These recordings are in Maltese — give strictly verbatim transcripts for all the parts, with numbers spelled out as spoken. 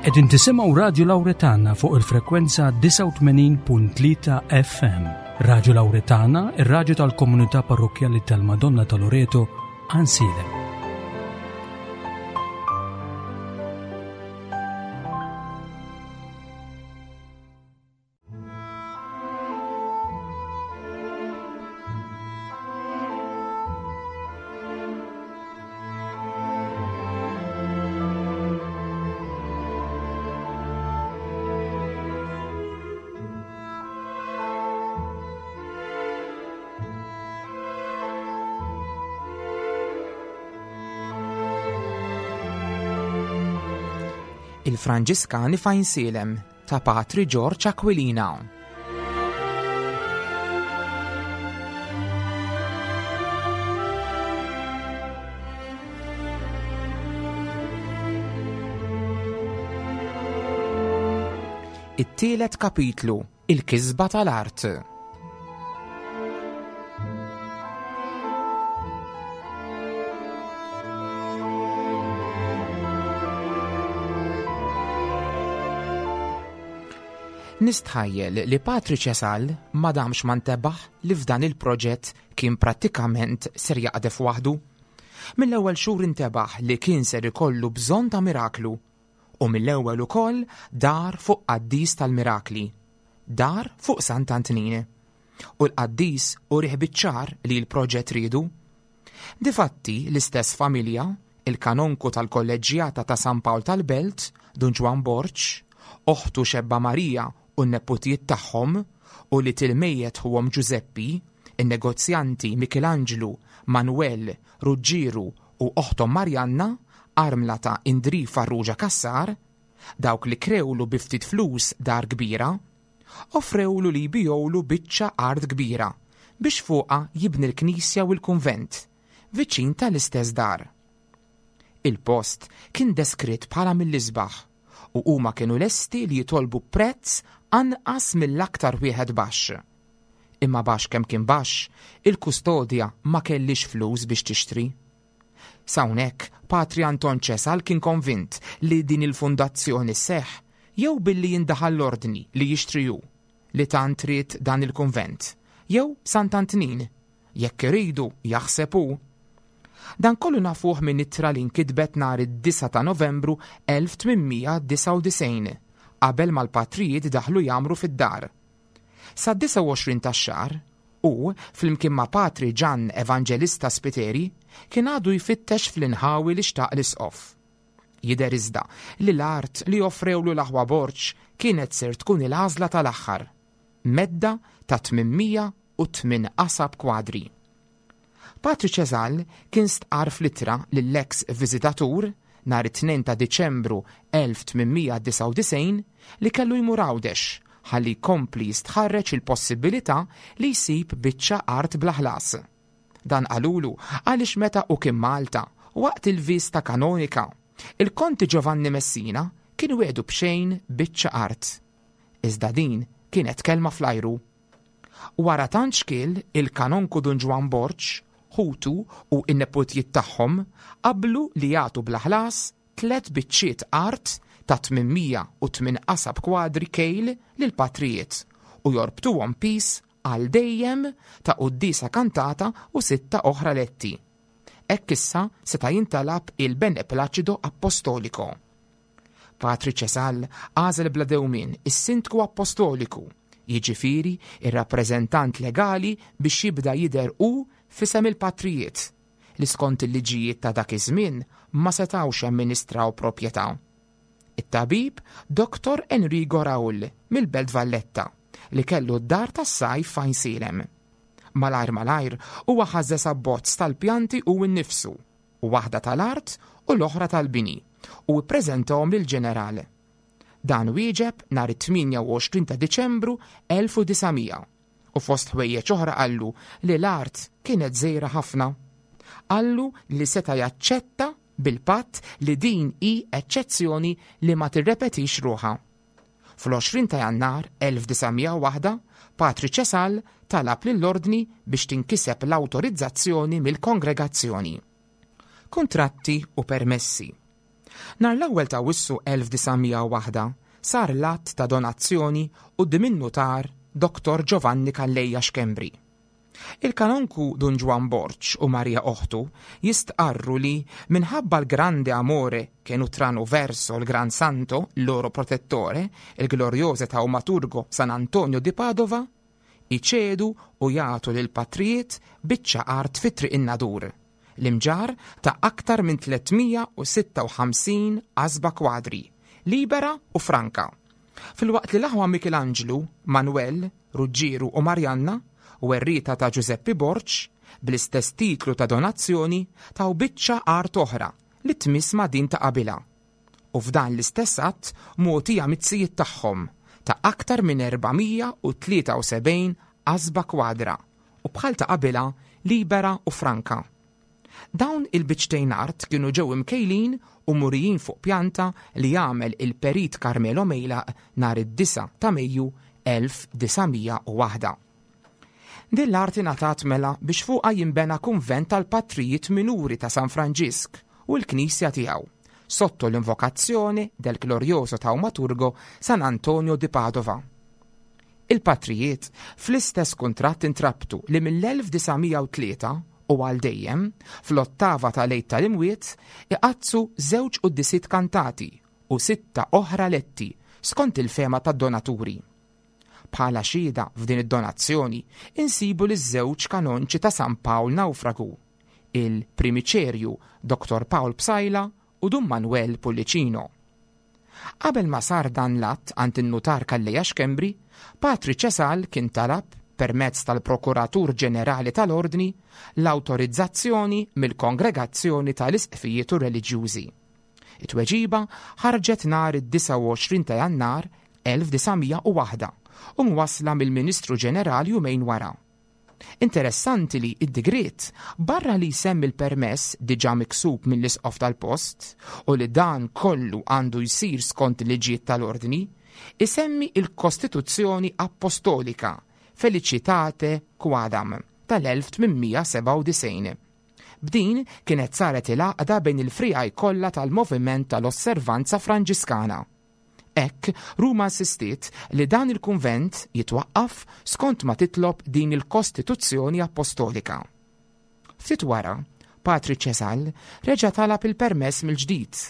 Qegħdin tisimgħu Radju Lawretana fuq il-frekwenza disgħa u tmenin punt tlieta F M. Radju Lawretana, ir-radju tal-Komunità Parrokkjali tal-Madonna ta' Loreto, Għajnsielem. Il-Franġiskani f'Għajnsielem ta' Patri George Aquilina. It-tielet kapitlu, il-kisba tal-art. Nistħajjel li Patri Ċesal ma damx ma ntebaħ li f'dan il-proġett kien prattikament ser jaqdef waħdu. Mill-ewwel xhur intebaħ li kien ser ikollu bżonn ta' miraklu u mill-ewwel ukoll dar fuq qaddis tal-mirakli. Dar fuq Sant'Antnin. U l-qaddis urieh biċ-ċar li l-proġett ridu. Difatti l-istess familja, il-kanonku tal-kolleġġjata ta' San Pawl tal-Belt, Dun Ġwann Borg, oħtu Xebba Marija u n-neputijiet tagħhom u li til-mejjet ħuhom Giuseppi, in-negozjanti Michelangelo, Manuel, Ruggiero u oħtom Marianna, armla ta' Indri Farrugia Cassar, dawk li krewlu bi ftit flus dar kbira, offrewlu li jbijowlu biċċa art kbira biex fuqha jibni l-knisja u l-kunvent, viċin tal-istess dar. Il-post kien deskritt bħala mill-isbaħ u huma kienu lesti li jitolbu prezz anqas mill-aktar wieħed baxx. Imma baxx kemm kien baxx, il-kustodja ma kellix flus biex tixtri. S'hawnhekk, Patri Anton Ċesal kien konvint li din il-fundazzjoni seħ jew billi jindaħal l-ordni li jixtri hu li tant ried dan il-kunvent, jew Sant'Antnin, jekk iridu jaħseb hu. Dan kollu nafuh minn ittra li nkitbet nhar id-disgħa ta' Novembru elf tmien mija disgħa u disgħin, qabel mal-patrijiet daħlu jagħmru fid-dar. Sa disgħa u għoxrin tax-xahar, u flimkien ma' Patri Ġan Evangelista Spiteri kien għadu jfittex fl-inħawi li xtaq l-isqof. Jidher iżda li l-art li offrewlu l-aħwa Borg kienet ser tkun il-għażla tal-aħħar, medda ta' tmien mija u tmien qasab kwadri. Patri Ċesal kien stqar fl-ittra lill-ex viżitatur nhar it-tnejn ta' Diċembru elf tmien mija disgħa u disgħin li kellu jmur Għawdex ħalli jkompli jistħarreġ il-possibilità li jsib biċċa art bla ħlas. Dan qalulu għaliex meta u kien Malta waqt il-vista kanonika, il-Konti Giovanni Messina kien wedu b'xejn biċċa art. Iżda din kienet kelma fl-ajru. Wara tant xkiel, il-kanonku Dun Ġwann Borg, ħutu u n-neputijiet tagħhom qablu li jagħtu bla ħlas tliet biċċiet art ta' tmien mija u tmien qasab kwadri kejl lil patrijiet u jorbtuhom pis għal dejjem ta' quddiesa kantata u sitta oħra letti. Hekk issa seta' jintalab il-Beneplacido Apostolico. Patri Ċesal għażel bla dewmien is-Sindku Apostoliku, jiġifieri ir-rappreżentant legali biex jibda jidher hu f'isem il-patrijiet li skont il-liġijiet ta' dak iż-żmien ma setgħux jamministraw proprjetà. It-tabib Doktor Enrico Raul mill-Belt Valletta li kellu d-dar tas-sajf f'Għajnsielem. Malajr malajr huwa ħażżeż abbozz tal-pjanti u nnifsu, u waħda tal-art u l-oħra tal-bini, u ppreżentahom lill-ġeneral. Dan wieġeb nhar it-tmienja u għoxrin ta' Diċembru elf u disa' mija u fost ħwejjeġ oħra qallu li l-art kienet żgħira ħafna. Qallu li seta' jaċċetta bil-patt li din hi eċċezzjoni li ma tirrepetix ruħha. Fl-għoxrin ta' Jannar elf disa' mija u waħda, Patri Ċesal talab lill-ordni biex tinkiseb l-awtorizzazzjoni mill-kongregazzjoni. Kuntratti u permessi. Nhar l-ewwel ta' Awwissu elf disa' mija u waħed sar l-att ta' donazzjoni quddiem in-nutar Doktor Giovanni Calleja Schembri. Il-kanonku Dun Ġwann Borg u Marija oħtu jistqarru li minħabba l-grande amore che nutrano verso il Gran Santo, loro protettore, il glorioso taumaturgo San Antonio di Padova, iċedu u jagħtu lil patrijiet biċċa art fi Triq in-Nadur, l-Imġarr, ta' aktar minn tliet mija u sitta u ħamsin qasba kwadri, libera u franka. Filwaqt li l-aħwa Michelangelo, Manuel, Ruggiero u Marianna, werrieta ta' Giuseppe Borg, bl-istess titlu ta' donazzjoni taw biċċa art oħra li tmiss ma' din ta' qabilha. U f'dan l-istess att mogħtija miz-zijiet tagħhom ta' aktar minn erba' mija u tlieta u sebgħin qasba kwadra u bħal ta' qabilha libera u franka. Dawn il-biċċtejn art kienu ġew imkejlin u murijin fuq pjanta li għamel il-perit Carmelo Mejlaq nhar id-disgħa ta' Mejju elf disa' mija u waħed. Din l-art ingħatat mela biex fuqha jinbena kunvent tal-patrijiet minuri ta' San Franġisk u l-knisja tiegħu, sotto l-invokazzjoni del glorioso taumaturgo San Antonio di Padova. Il-patrijiet fl-istess kuntratt intrabtu li mill-elf disa' mija u tlieta u għal dejjem fl-ottava tal-Għid tal-Imwiet iqaddsu żewġ quddiesiet kantati u sitta oħra letti skont il-fehma tad-donaturi. Bħala xhieda f'din id-donazzjoni insibu li żewġ kanonċi ta' San Pawl Naufragu, il-primiċerju Doktor Paul Psaila u Dun Manuel Pullicino. Qabel ma sar dan l-att għand in-nutar Calleja Schembri, Patri Ċesal kien talab permezz tal-Prokuratur Ġenerali tal-Ordni l-autorizzazzjoni mill-Kongregazzjoni tal-Isqfijiet u Reliġjużi. It-tweġiba ħarġet nhar id-disgħa u għoxrin ta' Jannar elf disa' mija u waħed u mwasla mill-Ministru Ġenerali jumejn wara. Interessanti li id-digriet barra li jsemmi l-permess diġà miksub mill-isqof tal-post u li dan kollu għandu jsir skont il-liġijiet tal-ordni, isemmi il-Kostituzzjoni Apostolika Felicitatis Quadam tal-elf tmien mija u sebgħa u disgħin. B'din kienet saret il-għaqda bejn il-friegħi kollha tal-moviment tal-Osservanza Franġiskana. Hekk, Ruma insistiet li dan il-kunvent jitwaqqaf skont ma titlob din il-Kostituzzjoni Apostolika. Ftit wara, Patri Ċesal reġa' talab il-permess mill-ġdid,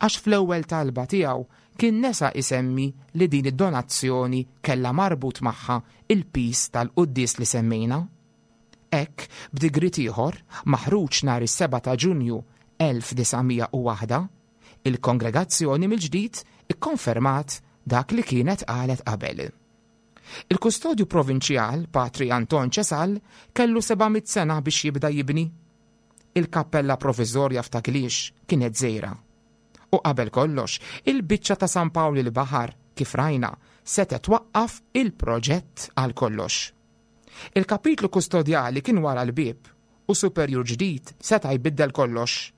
għax fl-ewwel talba tiegħu kien nesa isemmi li din id-donazzjoni kella marbut magħha il-piż tal-quddies li semmejna. Hekk, b'digriet ieħor, maħruġ nhar is-sebgħa ta' Ġunju elf disa' mija u waħed, il-kongregazzjoni mill-ġdid ikkonfermat dak li kienet qalet qabel. Il-kustodju provinċjal, Patri Anton Ċesal, kellu seba' mitt sena biex jibda jibni. Il-kappella provizorja f'Ta' Qliex kienet żgħira. U qabel kollox, il-biċċa ta' San Pawl il-Baħar, kif rajna, setgħet twaqqaf il-proġett għal kollox. Il-kapitlu kustodjali kien wara l-bib u superjur ġdid seta' jbiddel kollox.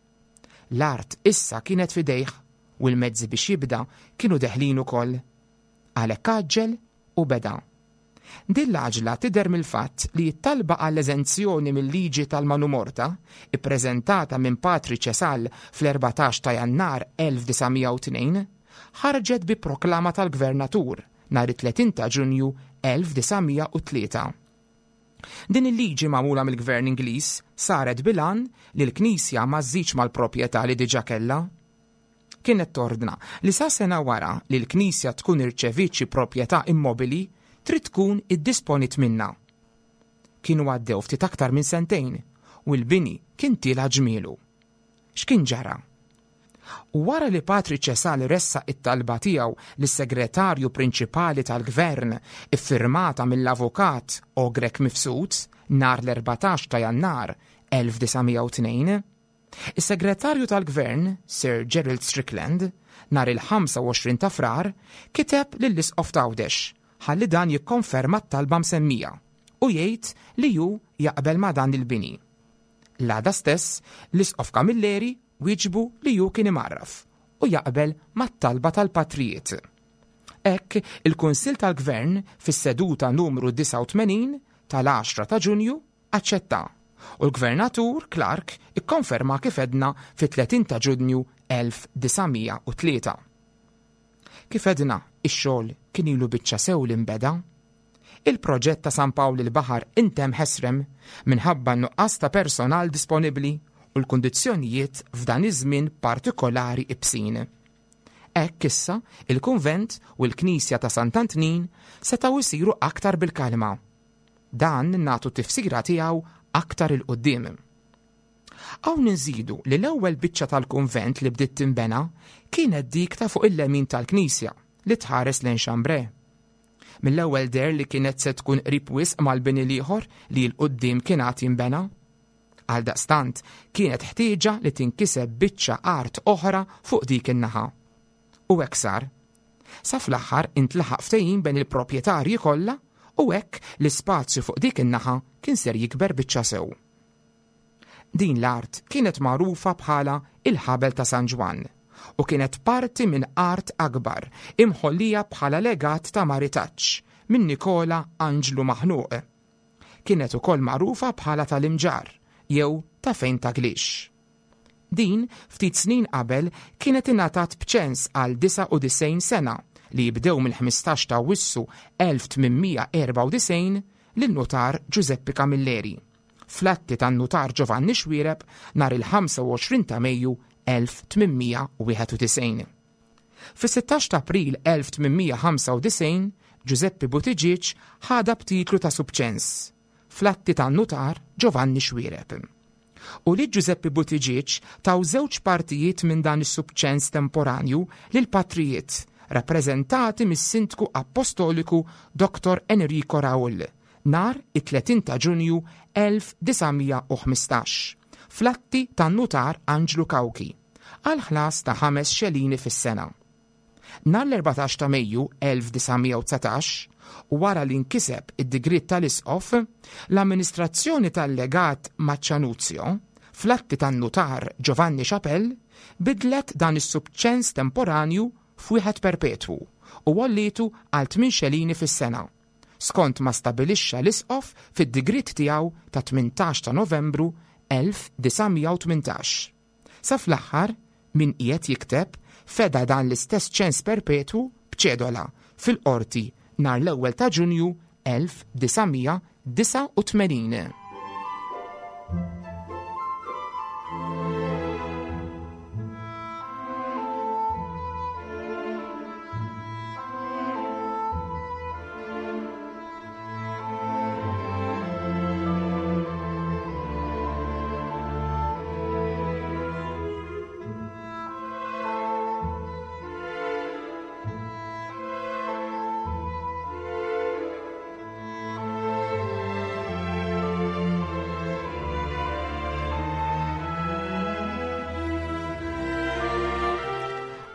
L-art issa kienet fidejh u l-mezzi biex jibda kienu deħlin ukoll. Għalhekk għaġġel u beda. Din l-għaġla tidher mill-fatt li t-talba għall-eżenzjoni mill-liġi tal-Manumorta, ippreżentata minn Patri Ċesal fl-erbatax ta' Jannar elf disa' mija u tnejn, ħarġet bi proklama tal-Gvernatur nhar it-tletin ta' Ġunju elf disa' mija u tlieta. Din il-liġi magħmula mill-Gvern Ingliż saret bil-għan li l-Knisja ma żżidx mal-proprjetà li diġà kellha. Kienet tordna li sa sena wara li l-Knisja tkun irċeviet xi proprjetà immobili trid tkun iddisponit minnha. Kienu għaddew ftit aktar minn sentejn u l-bini kien tila ġmielu. X'kien ġara? U wara li Patri Ċesal ressaq it-talba tiegħu lis-segretarju prinċipali tal-Gvern iffirmata mill-avukat Ogrek Mifsud nhar l-erbatax ta' Jannar elf disa' mija u tnejn, is-segretarju tal-Gvern Sir Gerald Strickland nhar il-ħamsa u għoxrin ta' Frar kiteb lill-Isqof t'Għawdex ħalli dan jikkonferma t-talba msemmija u jgħid li hu jaqbel ma' dan il-bini. L-għada stess l-Isqof Camilleri wieġbu li hu kien imgħarraf u jaqbel mat-talba tal-patrijiet. Hekk il-Kunsill tal-Gvern fis-seduta numru disgħa u tmenin tal-għaxra ta' Ġunju aċċetta U l-Gvernatur Clark ikkonferma kif edna fit-tletin ta' Ġunju elf disa' mija u tlieta. Kif edna, ix-xogħol kien ilu biċċa sew li nbeda. Il-proġett ta' San Pawl il-Baħar intemm ħesrem minħabba n-nuqqas ta' personal disponibbli u l-kundizzjonijiet f'dan iż-żmien partikolari ibsin. Hekk issa il-kunvent u l-Knisja ta' Sant'Antnin setgħu jsiru aktar bil-kalma. Dan nagħtu tifsira tiegħu aktar il-qudiem. Hawn inżidu li l-ewwel biċċa tal-kunvent li bdiet tinbena kienet dik ta' fuq il-lemin tal-Knisja li tħares lejn Xambre. Mill-ewwel der li kienet se tkun qrib wisq mal-bini l-ieħor li l-qudiem kien għad jinbena. Għaldaqstant kienet ħtieġa li tinkiseb biċċa art oħra fuq dik in-naħa. U hekk sar. Sa fl-aħħar intlaħaq ftehim bejn il-proprjetarji kollha u hekk l-ispazju fuq dik in-naħa kien ser jikber biċċa sew. Din l-art kienet magħrufa bħala il-ħabel ta' San Ġwann u kienet parti minn art akbar imħollija bħala legat ta' maritaġġ minn Nikola Anġlu Maħnuq. Kienet ukoll magħrufa bħala tal-Imġarr jew ta' fejn ta' Glix. Din ftit snin qabel kienet ingħatat b'ċens għal disa' u disgħin sena li jibdew mill-ħmistax ta' Awwissu elf tmien mija erba' u disgħin lin-nutar Giuseppe Camilleri. Fl-atti tan-nutar Giovanni Xuereb nhar il-ħamsa u għoxrin ta' Mejju elf tmien mija wieħed u disgħin. Fis-sittax ta' April elf tmien mija ħamsa u disgħin Giuseppe Buttigieg ħadha b'titlu ta' subċens fl-atti tan-nutar Giovanni Xuereb. U li Giuseppe Buttigieg taw żewġ partijiet minn dan is-subċens temporanju lil patrijiet rappreżentati mis-Sindku Apostoliku Doktor Enrico Raul nhar it-tletin ta' Ġunju elf disa' mija u ħmistax fl-atti tan-nutar Anġlu Cauchi għal ħlas ta' ħames xelini fis-sena. Nhar l-erbatax ta' Mejju elf disa' mija u dsatax, u wara li nkiseb id-digriet tal-Isqof, l-amministrazzjoni tal-legat Maccianuzio fl-atti tan-nutar Giovanni Chapelle bidlet dan is-subċens temporanju f'wieħed perpetwu u għollitu għal tmien xelini fis-sena, skont ma stabilixxa l-Isqof fid-digriet tiegħu ta' tmintax ta' Novembru elf disa' mija u tmintax. Sa fl-aħħar, min qiegħed jikteb feda dan l-istess ċens perpetwu b'ċedola fil-qorti nhar l-ewwel ta' Ġunju elf disa' mija disa' u tmenin.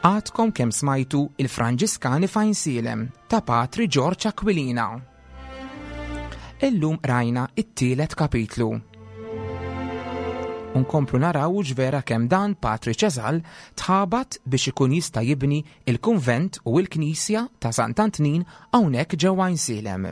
Għadkom kemm smajtu il-Franġiskani f'Għajnsielem ta' Patri George Aquilina. Illum rajna it-tielet kapitlu. Unkomplu naraw ġvera kemm dan Patri Ċesal tħabat biex ikun jista' jibni il-kunvent u l-knisja ta' Sant'Antnin hawnhekk ġewwa Għajnsielem.